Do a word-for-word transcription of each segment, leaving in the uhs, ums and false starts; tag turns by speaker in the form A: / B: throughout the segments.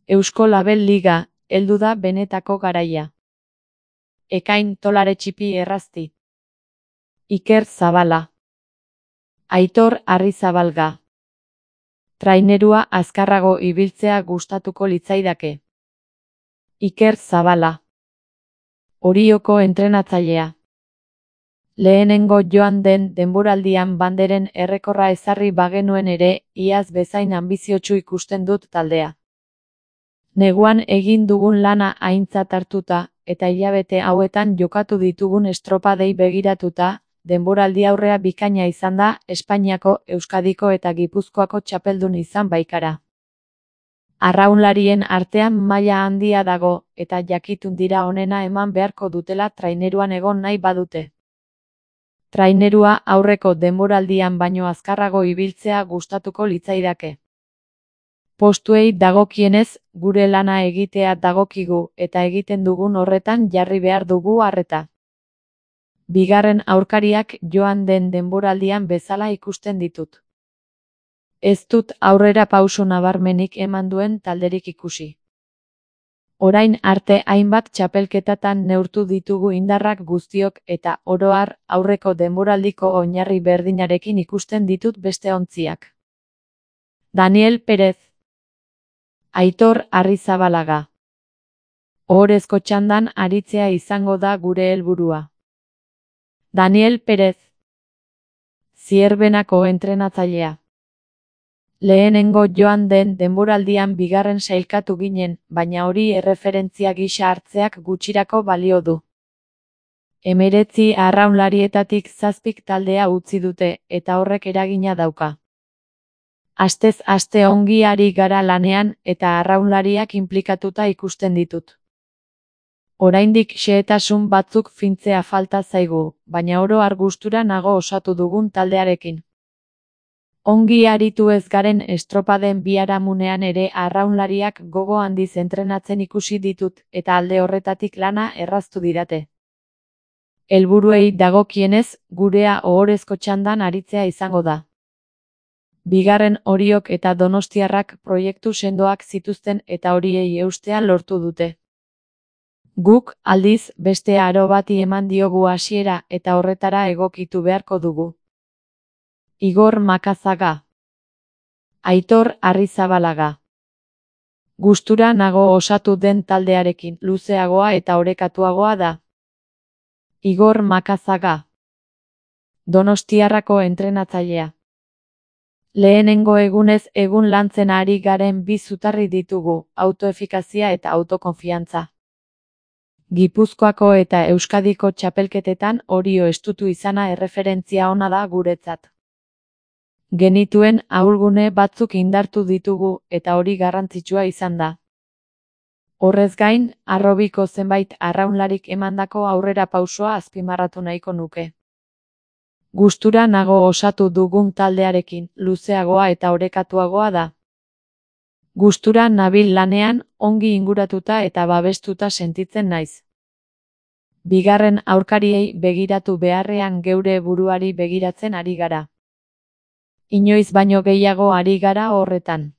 A: Eusko Label Liga, heldu da benetako garaia. Ekain Tolare Txipi Errazti. Iker Zabala. Aitor Arrizabalga. Trainerua azkarrago ibiltzea gustatuko litzaidake. Iker Zabala. Orioko entrenatzailea. Lehenengo joan den denboraldian banderen errekorra ezarri bagenuen ere, iaz bezain anbiziotsu ikusten dut taldea. Neguan egin dugun lana aintzat hartuta, eta hilabete hauetan jokatu ditugun estropadei begiratuta, denboraldi aurrea bikaina izan da, Espainiako, Euskadiko eta Gipuzkoako txapeldun izan baikara. Arraunlarien artean maila handia dago, eta jakitun dira onena eman beharko dutela traineruan egon nahi badute. Trainerua aurreko denboraldian baino azkarrago ibiltzea gustatuko litzaidake. Postuei dagokienez, gure lana egitea dagokigu eta egiten dugun horretan jarri behar dugu arreta. Bigarren aurkariak joan den denboraldian bezala ikusten ditut. Ez dut aurrera pauso nabarmenik eman duen talderik ikusi. Orain arte hainbat txapelketatan neurtu ditugu indarrak guztiok eta oro har aurreko denboraldiko oinarri berdinarekin ikusten ditut beste ontziak. Daniel Perez. Aitor Arrizabalaga. Ohorezko txandan aritzea izango da gure helburua. Daniel Perez. Zierbenako entrenatzailea. Lehenengo joan den denboraldian bigarren sailkatu ginen, baina hori erreferentzia gisa hartzeak gutxirako balio du. Hemeretzi arraunlarietatik zazpik taldea utzi dute, eta horrek eragina dauka. Astez aste ongi ari gara lanean, eta arraunlariak inplikatuta ikusten ditut. Oraindik xehetasun batzuk fintzea falta zaigu, baina oro har gustura nago osatu dugun taldearekin. Ongi aritu ez garen estropaden biharamunean ere arraunlariak gogo handiz entrenatzen ikusi ditut eta alde horretatik lana erraztu didate. Helburuei dagokienez, gurea ohorezko txandan aritzea izango da. Bigarren Oriok eta Donostiarrak proiektu sendoak zituzten eta horiei eustea lortu dute. Guk, aldiz, beste aro bati eman diogu hasiera eta horretara egokitu beharko dugu. Igor Makazaga. Aitor Arrizabalaga. Gustura nago osatu den taldearekin, luzeagoa eta orekatuagoa da. Igor Makazaga. Donostiarrako entrenatzailea. Lehenengo egunez egun lantzen ari garen bi zutarri ditugu, autoefikazia eta autokonfiantza. Gipuzkoako eta Euskadiko txapelketetan Orio estutu izana erreferentzia ona da guretzat. Genituen ahulgune batzuk indartu ditugu eta hori garrantzitsua izan da. Horrez gain, harrobiko zenbait arraunlarik emandako aurrera pausoa azpimarratu nahiko nuke. Gustura nago osatu dugun taldearekin, luzeagoa eta orekatuagoa da. Gustura nabil lanean, ongi inguratuta eta babestuta sentitzen naiz. Bigarren aurkariei begiratu beharrean geure buruari begiratzen ari gara. Inoiz baino gehiago ari gara horretan.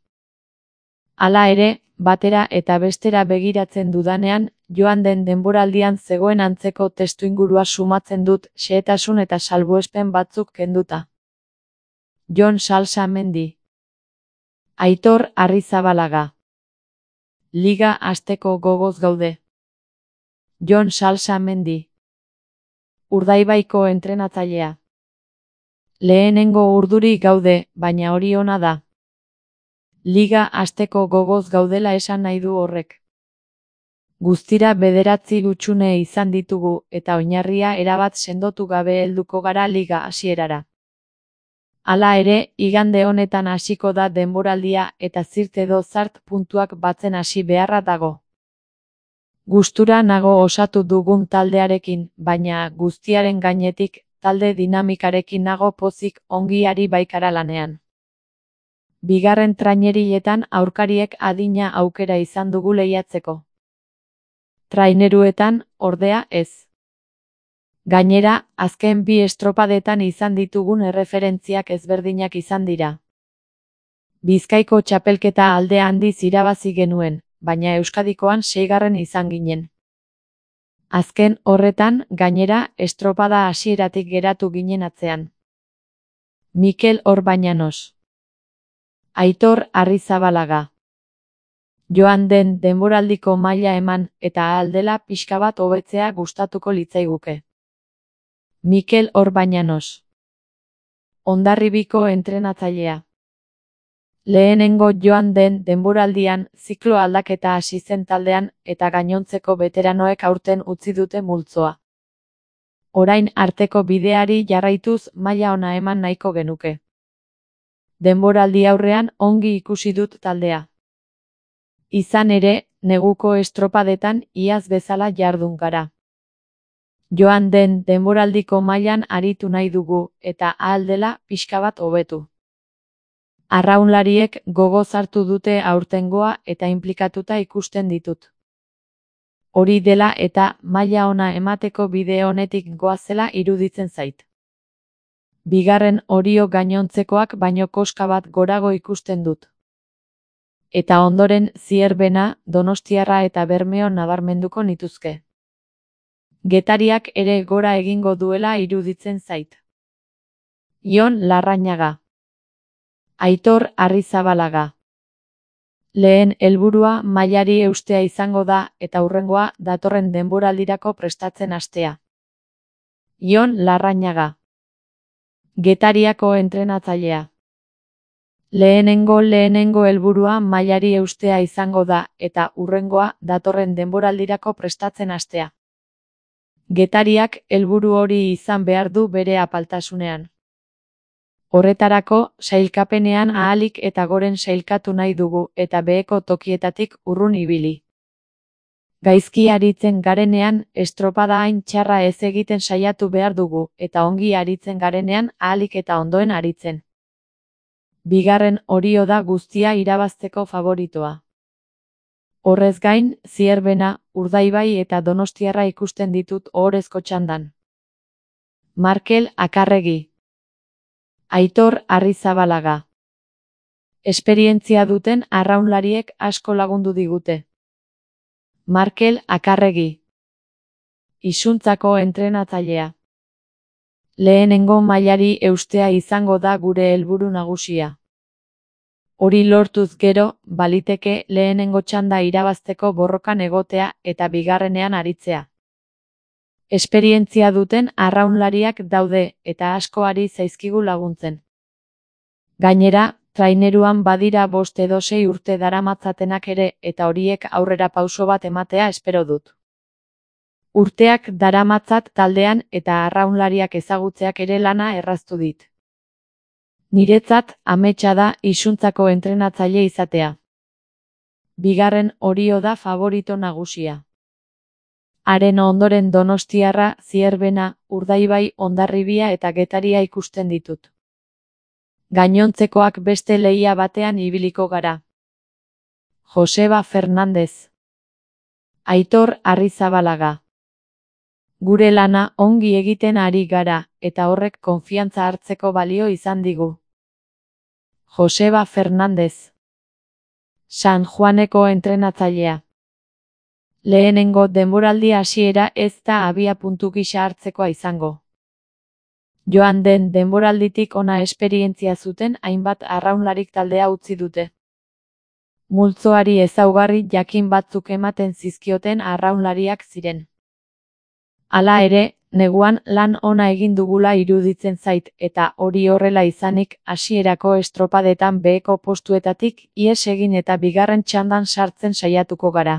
A: Hala ere, batera eta bestera begiratzen dudanean, joan den denboraldian zegoen antzeko testuingurua sumatzen dut xehetasun eta salbuespen batzuk kenduta. Jon Salsamendi. Aitor Arrizabalaga. Liga hasteko gogoz gaude. Jon Salsamendi. Urdaibaiko entrenatzailea. Lehenengo urduri gaude, baina hori ona da. Liga hasteko gogoz gaudela esan nahi du horrek. Guztira bederatzi gutxune izan ditugu eta oinarria erabat sendotu gabe helduko gara liga hasierara. Hala ere, igande honetan hasiko da denboraldia eta zirt edo zart puntuak batzen hasi beharra dago. Gustura nago osatu dugun taldearekin, baina guztiaren gainetik, talde dinamikarekin nago pozik ongi ari baikara lanean. Bigarren trainerietan aurkariek adina aukera izan dugu lehiatzeko. Traineruetan, ordea, ez. Gainera, azken bi estropadetan izan ditugun erreferentziak ezberdinak izan dira. Bizkaiko txapelketa alde handiz irabazi genuen, baina Euskadikoan seigarren izan ginen. Azken horretan, gainera, estropada hasieratik geratu ginen atzean. Mikel Orbañanos. Aitor Arrizabalaga. Joan den denboraldiko maila eman eta ahal dela pixka bat hobetzea gustatuko litzaiguke. Mikel Orbañanos. Hondarribiko entrenatzailea. Lehenengo joan den denboraldian ziklo aldaketa hasi zen taldean eta gainontzeko beteranoek aurten utzi dute multzoa. Orain arteko bideari jarraituz maila ona eman nahiko genuke. Denboraldi aurrean ongi ikusi dut taldea. Izan ere, neguko estropadetan iaz bezala jardun gara. Joan den denboraldiko mailan aritu nahi dugu eta ahal dela pixka bat hobetu. Arraunlariek gogoz hartu dute aurtengoa eta inplikatuta ikusten ditut. Hori dela eta maila ona emateko bide honetik goazela iruditzen zait. Bigarren Orio gainontzekoak baino koska bat gorago ikusten dut. Eta ondoren Zierbena, Donostiarra eta Bermeo nabarmenduko nituzke. Getariak ere gora egingo duela iruditzen zait. Jon Larrañaga. Aitor Arrizabalaga. Lehen helburua mailari eustea izango da eta hurrengoa datorren denboraldirako prestatzen hastea. Jon Larrañaga. Getariako entrenatzailea. Lehenengo lehenengo helburua mailari eustea izango da eta hurrengoa datorren denboraldirako prestatzen hastea. Getariak helburu hori izan behar du bere apaltasunean. Horretarako, sailkapenean ahalik eta goren sailkatu nahi dugu eta beheko tokietatik urrun ibili. Gaizki aritzen garenean, estropada hain txarra ez egiten saiatu behar dugu eta ongi aritzen garenean ahalik eta ondoen aritzen. Bigarren Orio da guztia irabazteko favoritoa. Horrez gain, Zierbena, Urdaibai eta Donostiarra ikusten ditut ohorezko txandan. Markel Akarregi. Aitor Arrizabalaga. Esperientzia duten arraunlariek asko lagundu digute. Markel Akarregi. Isuntzako entrenatzailea. Lehenengo mailari eustea izango da gure helburu nagusia. Hori lortuz gero, baliteke lehenengo txanda irabazteko borrokan egotea eta bigarrenean aritzea. Esperientzia duten arraunlariak daude eta asko ari zaizkigu laguntzen. Gainera, traineruan badira bost edo sei urte daramatzatenak ere eta horiek aurrera pauso bat ematea espero dut. Urteak daramatzat taldean eta arraunlariak ezagutzeak ere lana erraztu dit. Niretzat ametsa da isuntzako entrenatzaile izatea. Bigarren Orio da favorito nagusia. Haren ondoren Donostiarra, Zierbena, Urdaibai, Hondarribia eta Getaria ikusten ditut. Gainontzekoak beste lehia batean ibiliko gara. Joseba Fernandez. Aitor Arrizabalaga. Gure lana ongi egiten ari gara eta horrek konfiantza hartzeko balio izan digu. Joseba Fernandez. San Juaneko entrenatzailea. Lehenengo denboraldi hasiera ez da abia puntu gisa hartzekoa izango. Joan den denboralditik ona esperientzia zuten hainbat arraunlarik taldea utzi dute. Multzoari ezaugarri jakin batzuk ematen zizkioten arraunlariak ziren. Hala ere, neguan lan ona egin dugula iruditzen zait eta hori horrela izanik hasierako estropadetan beheko postuetatik ihes egin eta bigarren txandan sartzen saiatuko gara.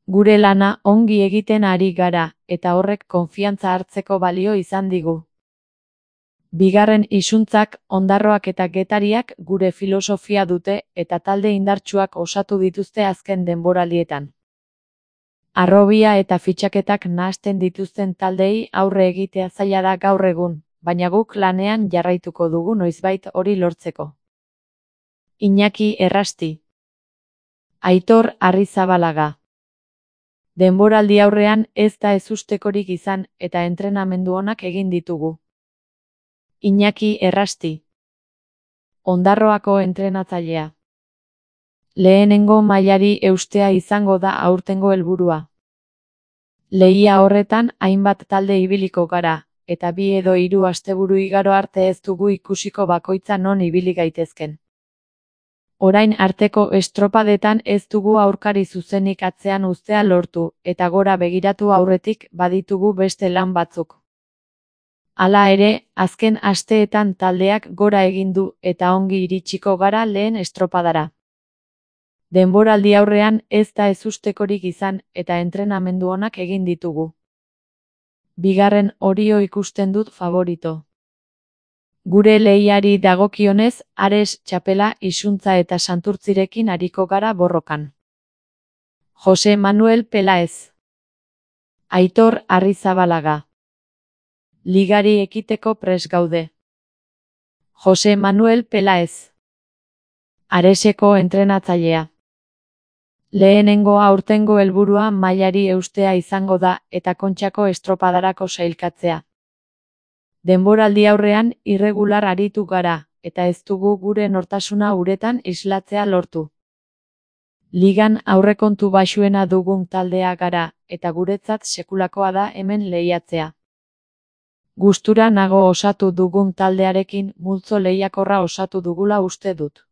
A: Gure lana ongi egiten ari gara eta horrek konfiantza hartzeko balio izan digu. Bigarren isuntzak, Ondarroak eta Getariak gure filosofia dute eta talde indartsuak osatu dituzte azken denboraldietan. Harrobia eta fitxaketak nahasten dituzten taldei aurre egitea zaila da gaur egun, baina guk lanean jarraituko dugu noizbait hori lortzeko. Iñaki Errasti. Aitor Arrizabalaga. Denboraldi aurrean ez da ezustekorik izan eta entrenamendu onak egin ditugu. Iñaki Errasti. Ondarroako entrenatzailea. Lehenengo mailari eustea izango da aurtengo helburua. Lehia horretan hainbat talde ibiliko gara, eta bi edo hiru asteburu igaro arte ez dugu ikusiko bakoitza non ibili gaitezken. Orain arteko estropadetan ez dugu aurkari zuzenik atzean uztea lortu, eta gora begiratu aurretik baditugu beste lan batzuk. Hala ere, azken asteetan taldeak gora egin du eta ongi iritsiko gara lehen estropadara. Denboraldi aurrean ez da ezustekorik izan eta entrenamendu onak egin ditugu. Bigarren Orio ikusten dut favorito. Gure lehiari dagokionez, Ares, Txapela, Isuntza eta Santurtzirekin ariko gara borrokan. Jose Manuel Pelaez. Aitor Arrizabalaga. Ligari ekiteko prest gaude. Jose Manuel Pelaez. Areseko entrenatzailea. Lehenengo aurtengo helburua mailari eustea izango da eta Kontxako estropadarako sailkatzea. Denboraldi aurrean irregular aritu gara, eta ez dugu gure nortasuna uretan islatzea lortu. Ligan aurrekontu baxuena dugun taldea gara, eta guretzat sekulakoa da hemen lehiatzea. Gustura nago osatu dugun taldearekin multzo lehiakorra osatu dugula uste dut.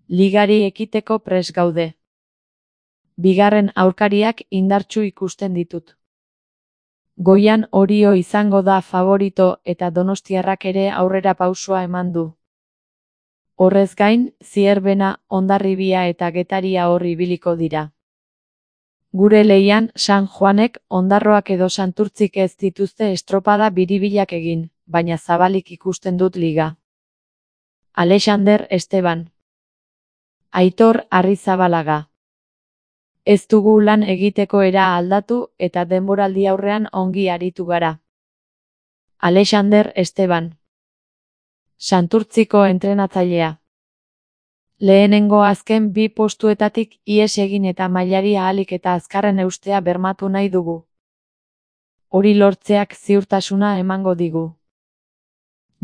A: Ligari ekiteko prest gaude. Bigarren aurkariak indartsu ikusten ditut. Goian Orio izango da favorito eta donostiarrak ere aurrera pausoa eman du. Horrez gain, Zierbena, Hondarribia eta Getaria hor ibiliko dira. Gure lehian San Juanek, Ondarroak edo Santurtzik ez dituzte estropada biribilak egin, baina zabalik ikusten dut liga. Alexander Esteban. Aitor Arrizabalaga. Ez dugu lan egiteko era aldatu eta denboraldi aurrean ongi aritu gara. Alexander Esteban. Santurtziko entrenatzailea. Lehenengo azken bi postuetatik ihes egin eta mailari ahalik eta azkarren eustea bermatu nahi dugu. Hori lortzeak ziurtasuna emango digu.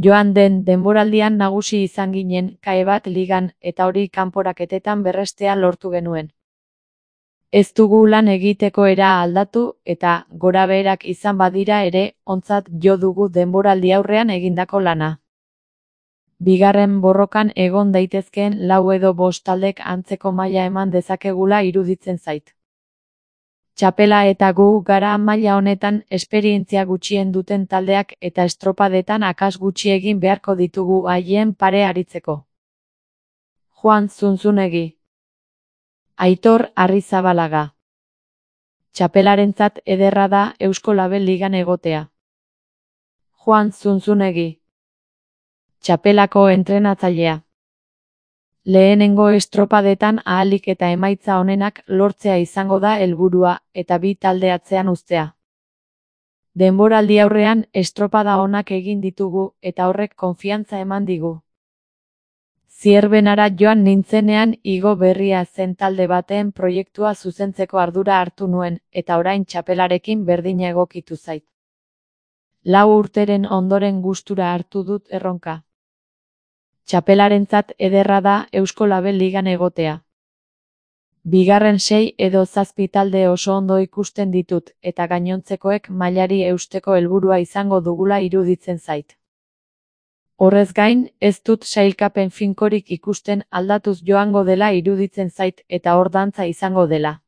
A: Joan den denboraldian nagusi izan ginen kae bat ligan eta hori kanporaketetan berrestea lortu genuen. Ez dugu lan egiteko era aldatu eta gorabeherak izan badira ere ontzat jo dugu denboraldi aurrean egindako lana. Bigarren borrokan egon daitezkeen lau edo bost taldek antzeko maila eman dezakegula iruditzen zait. Txapela eta gu gara maila honetan esperientzia gutxien duten taldeak eta estropadetan akas gutxi egin beharko ditugu haien pare aritzeko. Juan Zunzunegi. Aitor Arrizabalaga. Txapelarentzat ederra da Eusko Label Ligan egotea. Juan Zunzunegi. Txapelako entrenatzailea. Lehenengo estropadetan ahalik eta emaitza onenak lortzea izango da helburua eta bi talde atzean uztea. Denboraldi aurrean estropada onak egin ditugu eta horrek konfiantza eman digu. Zierbenara joan nintzenean igo berria zen talde baten proiektua zuzentzeko ardura hartu nuen eta orain txapelarekin berdina egokitu zait. Lau urteren ondoren gustura hartu dut erronka. Txapelarentzat ederra da Eusko Label Ligan egotea. Bigarren sei edo zazpi talde oso ondo ikusten ditut eta gainontzekoek mailari eusteko helburua izango dugula iruditzen zait. Horrez gain, ez dut sailkapen finkorik ikusten aldatuz joango dela iruditzen zait eta hor dantza izango dela.